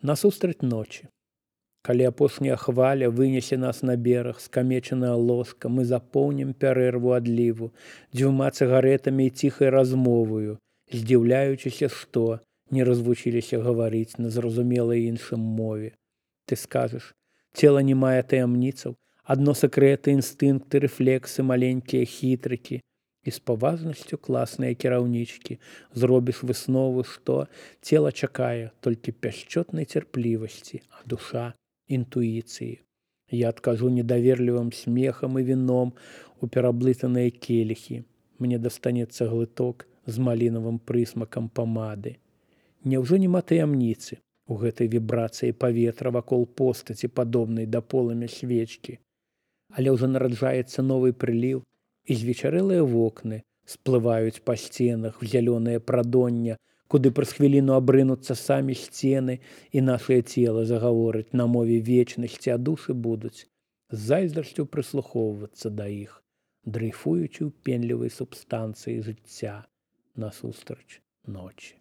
Насустрач ночі. Калі апошняя хваля вынесе нас на бераг, скамечаная лоска, мы запоўнім пярэрву адліву дзвюма цыгарэтамі і ціхай размоваю, здзіўляючыся, што не развучыліся гаварыць на зразумелай іншым мове. Ты скажаш, цела не мае таямніцаў, адно сакрэты, інстынкты, рэфлексы, маленькія хітрыкі. І з паважнасцю класныя кіраўнічкі зробіш выснову, што цела чакае толькі пяшчотнай цярплівасці, а душа інтуіцыі. Я адкажу недаверлівым смехам і віном у пераблытаныя келіхі. Мне дастанецца глыток з малінавым прысмакам памады. Няўжо няма таямніцы у гэтай вібрацыі паветра вакол постаці, падобнай да полымя свечкі? Але ўжо нараджаецца новы прыліў, і звечарэлыя вокны сплываюць па сценах в зялёнае прадоння, куды праз хвіліну абрынуцца самі сцены, і нашае цела загаворыць на мове вечнасці, а душы будуць з зайздрасцю прыслухоўвацца да іх, дрейфуючы ў пенлівай субстанцыі жыцця насустрач ночі.